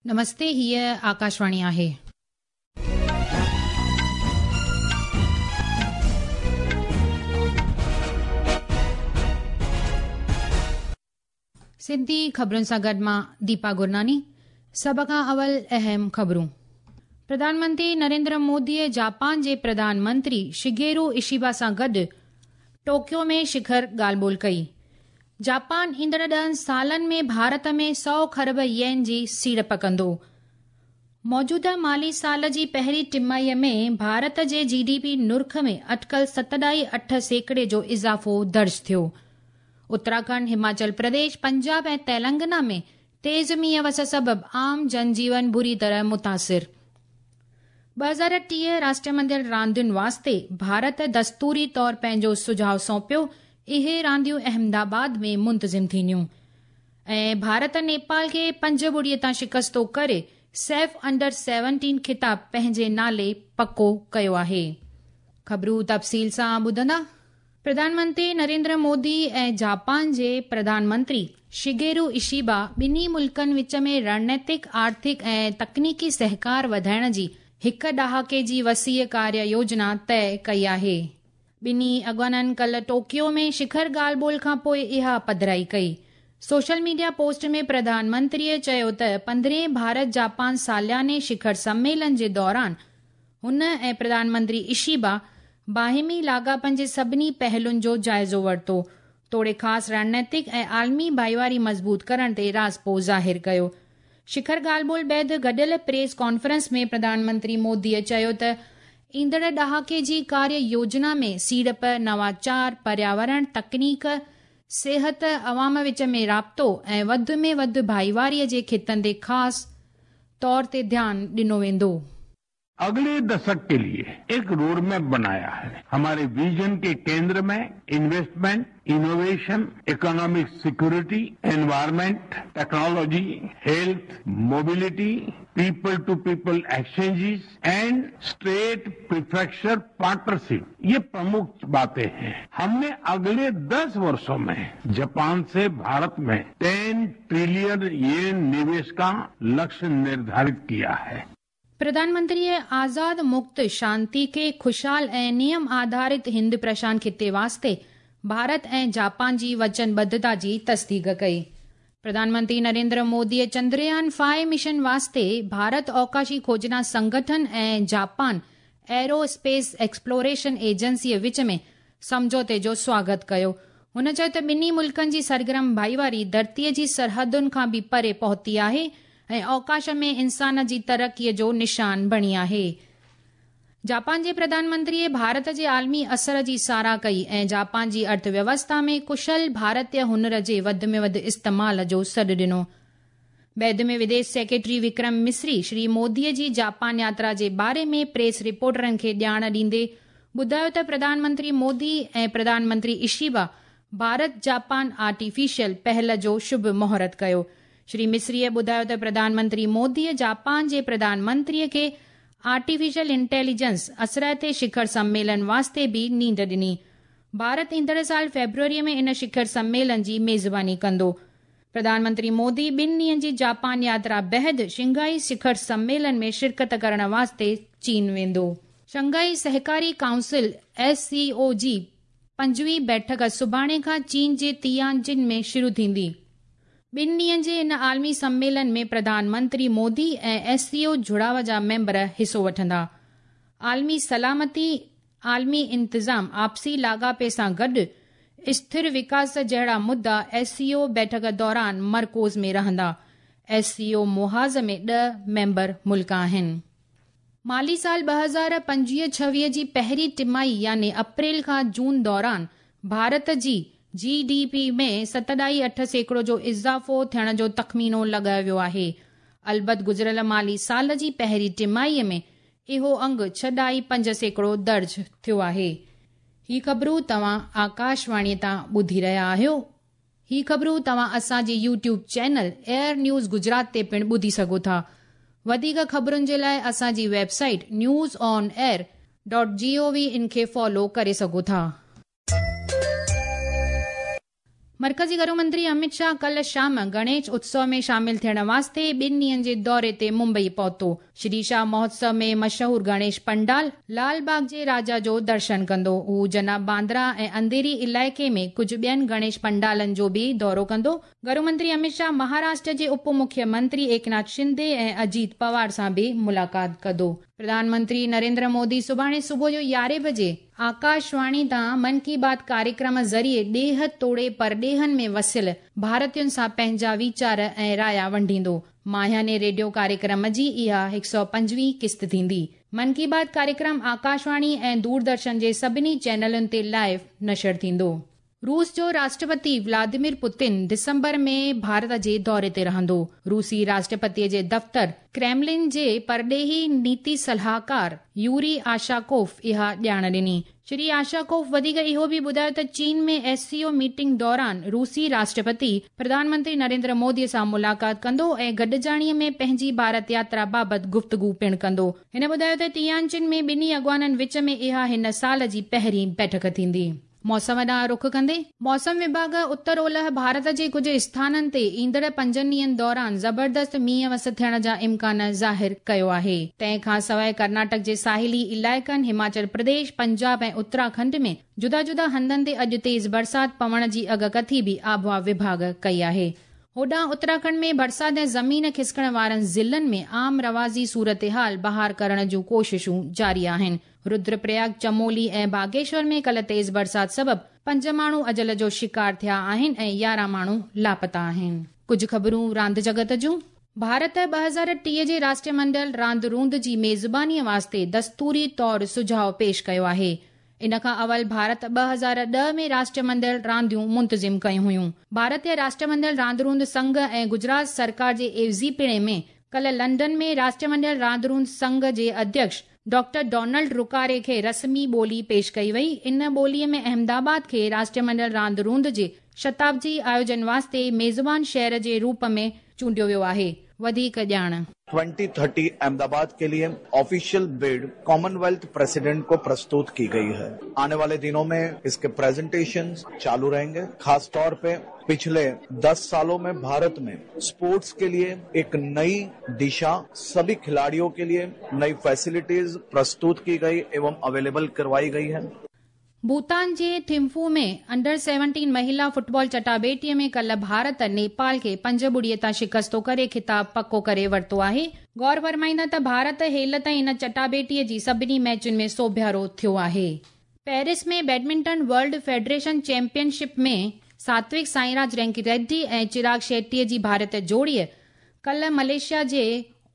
نمستي هيء آڪاشواڻي آهي. سنڌي خبرن سان گڏ مان ديپا گرناني سڀ کان اول اهم خبرون پرڌان منتري نريندر موديء جاپان جي پرڌان منتري شگيرو اشيبا سان گڏ ٽوڪيو ۾ شکر ڳالهه ٻولهه ڪئي. جاپان ايندڙ ڏهن سالن ۾ ڀارت ۾ سؤ کرب يين جي سيڙپ ڪندو. موجوده مالي سال جي پهرين ٽماهيء ۾ ڀارت جي جي ڊي پي نرخ ۾ اٽڪل ست ڏهائي اٺ سيڪڙي جو اضافو درج ٿيو. اتراکنڊ، هماچل پرديش، پنجاب ۽ تيلنگنا ۾ تيز مينهن وس سبب عام جن جيون بري طرح متاثر. 2030 راشٽرمنڊل راندين واسطي ڀارت دستوري طور پنهنجو سجهاء سونپيو، اهي رانديون احمد آباد ۾ منتظم ٿينديون ۽ ڀارت نيپال کي پنج ٻڙي تان شڪستو ڪري سيف انڊر سيونٽين خطاب پنهنجي نالي پڪو ڪيو آهي. خبرون تفصيل سان ٻڌندا. پرڌان منتري نريندر مودي ۽ جاپان جي پرڌان منتري شگيرو اشيبا ٻنهي ملڪن وچ ۾ رڻنيتڪ، آرٿڪ ۽ تڪنيڪي سهڪار وڌائڻ جي هڪ ڏهاڪي جي وسيع ڪاريه يوجنا طئي ڪئي آهي. ٻنهي اڳواڻن ڪلهه ٽوڪيو ۾ شکر ڳالهه ٻولهه کانپوء اها پڌرائي ڪئي. سوشل ميڊيا پوسٽ ۾ پرڌان منتريء چيو ته پندرهين ڀارت جاپان سالياني شکر سميلن جي دوران هن ۽ پرڌان منتري اشيبا باهمي لاڳاپن جي سڀني پهلن جو جائزو ورتو، توڙي خاص رڻنيتڪ ۽ عالمي ڀائيواري مضبوط ڪرڻ تي راضپو ظاهر ڪيو. شکر ڳالهه ٻولهه بعد گڏيل پريس ڪانفرنس ۾ پرڌان منتري موديء چيو ته ايندڙ ڏهاڪي جي ڪاريه يوجنا ۾ سيڙپ، نواچار، پرياورڻ، تڪنيڪ، صحت، عوام وچ ۾ رابطو ۽ وڌ ۾ وڌ ڀائيواري جي خطن تي خاص طور تي ڌيان ڏنو ويندو. अगले दशक के लिए एक रोड मैप बनाया है हमारे विजन के केंद्र में investment innovation economic security environment technology health mobility people to people exchanges and state prefecture partnership ये प्रमुख बातें हैं हमने अगले 10 वर्षों में जापान से भारत में 10 ट्रिलियन येन निवेश का लक्ष्य निर्धारित किया है پرڌان منتريء آزاد، مڪت، شانتيڪي، خوشحال ۽ نيم آڌارت هند پرشانت خطي واسطي ڀارت ۽ جاپان جي وچنبڌتا جي تصديق ڪئي. پرڌان منتري نريندر موديء چندريان فائيو مشن واسطي ڀارت اوڪاشي کوجنا سنگٺن ۽ جاپان ايرو اسپيس ايڪسپلوريشن ايجنسيء وچ ۾ سمجهوتي جو سواگت ڪيو. هن چيو ته ٻنهي ملڪن جي سرگرم ڀائيواري ڌرتيء جي سرحدن کان به پري پهتي آهي ۽ اوڪاش ۾ انسان جي ترقيء جو نشان بڻي آهي. جاپان جي پرڌان منتريء ڀارت جي عالمي اثر جي ساراهه ڪئي ۽ جاپان جي ارٿ ويوسٿا ۾ ڪشل ڀارتي هنر جي وڌ ۾ وڌ استعمال جو سڏ ڏنو. بعد ۾ وديش سيڪريٽري وڪرم مصري شري موديء جي جاپان ياترا جي باري ۾ پريس رپورٽرن کي ڄاڻ ڏيندي ٻڌايو ته پرڌان منتري مودي ۽ پرڌان منتري اشيبا ڀارت جاپان آرٽيفيشل پهل جو شڀ مهورت ڪيو. شري مصريء ٻڌايو ته پرڌان منتري موديء جاپان جي پرڌان منتريء کي آرٽيفيشل انٽيليجنس اثرائتي شکر سميلن واسطي به نينڍ ڏني. ڀارت ايندڙ سال فيبروريء ۾ ان شکر سميلن جي ميزباني ڪندو. پرڌان منتري مودي ٻن ڏينهن جي جاپان ياترا بعد شنگهائي شکر سميلن ۾ شرڪت ڪرڻ واسطي چين ويندو. شنگهائي سهڪاري ڪائونسل، ايس سي او، جي پنجويهين بيٺڪ سڀاڻي کان چين جي تيانجن ۾ شروع ٿيندي. ٻن ڏينهن جي ان عالمي سميلن ۾ پرڌان منتري مودي ۽ ايس سي او جڙاء جا ميمبر حصو وٺندا. عالمي سلامتي، عالمي انتظام، آپسي لاڳاپي سان گڏ اسٿر وڪاس جهڙا مدعا ايس سي او بيٺڪ دوران مرڪوز ۾ رهندا. ايس سي او محاذ ۾ ڏهه ميمبر ملڪ آهن. مالي سال 2025 26 جي پهرين ٽماهي يعني اپريل کان جون دوران ڀارت جي جي ڊي پي ۾ ست ڏهائي اٺ سيڪڙو جو اضافو ٿيڻ جو تخمينو لڳايو ويو آهي. البت گذريل مالي سال جي پهرين ٽماهي ۾ اهو انگ ڇهه ڏهائي پنج سيڪڙو درج ٿيو آهي. هي خبرون توهان آڪاشواڻي تان ٻڌي رهيا آهيو. هي خبرون توهان اسان جي YouTube channel AIR news Gujarat تي پڻ ٻڌي سگهو ٿا. وڌيڪ خبرن جي لاء اسان جي website news on air dot G O V in کي فالو ڪري سگهو ٿا. مرڪزي گهرو منتري امت شاهه ڪلهه شام گڻيش اتسو ۾ شامل ٿيڻ واسطي ٻن ڏينهن جي دوري تي ممبئي پهتو. شري شاهه مهوتسو ۾ مشهور گڻيش پنڊال لال باغ جي راجا جو درشن ڪندو. هو جناب باندرا ۽ انڌيري علائقي ۾ ڪجهه ٻين گڻيش پنڊالن جو به دورو ڪندو. گهرو منتري امت شاهه مهاراشٽر جي اپ مکيه منتري ايڪناٿ شندي ۽ اجيت پوار سان به ملاقات ڪندو. پرڌان منتري نريندر مودي سڀاڻي صبح جو يارهين بجي آڪاشواڻي تان من ڪي بات ڪاريڪرم ذريعي ڏيهه توڙي پرڏيهن ۾ وسيل ڀارتين سان پنهنجا ويچار ۽ رايا ونڊيندو. ماهياني ريڊيو ڪاريڪرم جي اها 125 قسط ٿيندي. من ڪي بات ڪاريڪرم آڪاشواڻي ۽ دوردرشن جي سڀني چينلن تي لائيو نشر ٿيندو. روس جو راشٽرپتي ولاديمير پوتن ڊسمبر ۾ ڀارت جي دوري تي رهندو. روسي راشٽرپتي جي دفتر ڪريملن جي پرڏيهي نيتي صلاحڪار يوري آشاڪوف اها ڄاڻ ڏني. شري آشاڪوف وڌيڪ اهو به ٻڌايو ته چين ۾ ايس سي او ميٽنگ دوران روسي راشٽرپتي پرڌان منتري نريندر مودي سان ملاقات ڪندو ۽ گڏجاڻي ۾ پنهنجي ڀارت ياترا بابت گفتگو پڻ ڪندو. هن ٻڌايو ته تيانجن ۾ ٻنهي اڳواڻن وچ ۾ اها هن سال جي پهرين بيٺڪ ٿيندي. موسم ڏانهن رخ ڪندي، موسم وڀاڳ اتر اولهه ڀارت جي ڪجهه اسٿانن تي ايندڙ پنجن ڏينهن دوران زبردست مينهن وس ٿيڻ جا امڪان ظاهر ڪيو آهي. تنهن کان سواء ڪرناٽڪ جي ساحلي علائقن، هماچل پرديش، پنجاب ۽ اتراکنڊ ۾ جدا جدا هنڌن تي اڄ تيز برسات پوڻ جي اڳڪٿي به آبهوا وڀاڳ ڪئي آهي. هوڏانهن اتراکنڊ ۾ برسات ۽ زمين کسڪڻ وارن ضلعن ۾ عام رواجي صورتحال بحال ڪرڻ جون ڪوششون جاري آهن. ردرپرياگ، چمولي ۽ باگيشور ۾ ڪلهه تيز برسات سبب پنج ماڻهو اجل جو شڪار ٿيا آهن ۽ 11 ماڻهو لاپتا آهن. ڪجهه خبرون راند جڳت جون. ڀارت 2030 جي راشٽرمنڊل راند روند جي ميزبانيء واسطي دستوري طور سجهاء پيش ڪيو آهي. ان کان اول ڀارت 2010 ۾ راشٽرمنڊل رانديون منتظم ڪيون هيون. ڀارتيه راشٽرمنڊل راند روند سنگهه ۽ گجرات سرڪار جي عيوضي پڻي ۾ ڪلهه لنڊن ۾ راشٽرمنڊل راند روند سنگهه جي اڌيڪش ڊاڪٽر ڊونلڊ رڪاري کي رسمي ٻولي پيش ڪئي وئي. ان ٻوليء ۾ احمدآباد کي راشٽرمنڊل راند روند جي شتابدي آيوجن واسطي ميزبان شهر جي روپ ۾ چونڊيو ويو آهي. وڌيڪ ڄاڻ. 2030 अहमदाबाद के लिए ऑफिशियल बिड कॉमनवेल्थ प्रेसिडेंट को प्रस्तुत की गई है। आने वाले दिनों में इसके प्रेजेंटेशन चालू रहेंगे। खास तौर पे पिछले 10 सालों में भारत में स्पोर्ट्स के लिए एक नई दिशा, सभी खिलाड़ियों के लिए नई फैसिलिटीज प्रस्तुत की गई एवं अवेलेबल करवाई गई है। भूटान جي ٿمفو ۾ انڊر 17 مهلا فٽبال چٽاڀيٽيء ۾ ڪلهه ڀارت نيپال کي 5-0 تان شڪستو ڪري خطاب پڪو ڪري ورتو آهي. غور فرمائيندا ته ڀارت هيل تائين ان چٽاڀيٽيء جي سڀني ميچن ۾ سوڀيارو ٿيو آهي. Paris ۾ badminton world federation championship ۾ Satwik Sairaj Ranki Reddy ۽ Chirag Shetty جي ڀارتي جوڙيء ڪلهه ملائيشيا جي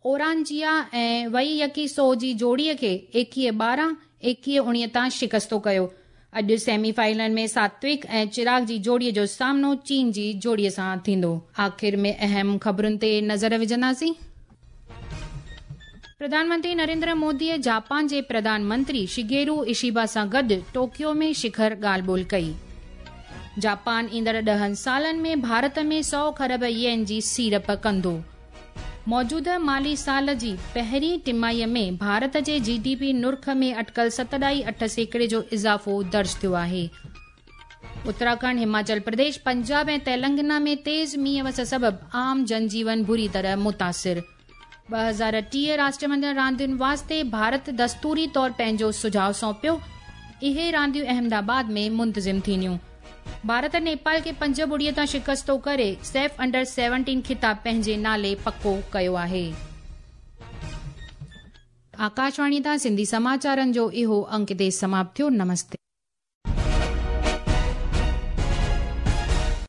اورانجيا ۽ وئي يڪي سو جي جوڙيء کي 21-12، 21-19 تان شڪستو ڪيو. اڄ سيمي فائنل ۾ ساتوڪ ۽ چراغ جي جوڙيء جو سامنو چين جي جوڙيء سان ٿيندو. آخر ۾ اهم خبرن تي نظر وجهنداسين. پرڌان منتري نريندر موديء جاپان جي پرڌان منتري شگيرو اشيبا سان گڏ ٽوڪيو ۾ شکر ڳالهه ٻولهه ڪئي. جاپان ايندڙ 10 سالن ۾ ڀارت ۾ 100 کرب يين جي سيڙپ ڪندو. موجوده مالي سال جي پهرين ٽماهيء ۾ ڀارت جي جي ڊي پي نرخ ۾ اٽڪل 7.8% جو اضافو درج ٿيو آهي. اتراکنڊ، هماچل پرديش، پنجاب ۽ تيلنگانا ۾ تيز مينهن وس سبب عام جنجيون بري طرح متاثر. 2030 راشٽرمنڊل راندين واسطي ڀارت دستوري طور پنهنجو سجهاء سونپيو. اهي رانديون احمدآباد ۾ منتظم ٿينديون. ڀارت نيپال کي 5-0 تان شڪستو ڪري سيف انڊر 17 خطاب پنهنجي نالي پڪو ڪيو آهي. آڪاشواڻي تان سنڌي سماچارن جو اهو انڪ هتي سماپت ٿيو. نمستي.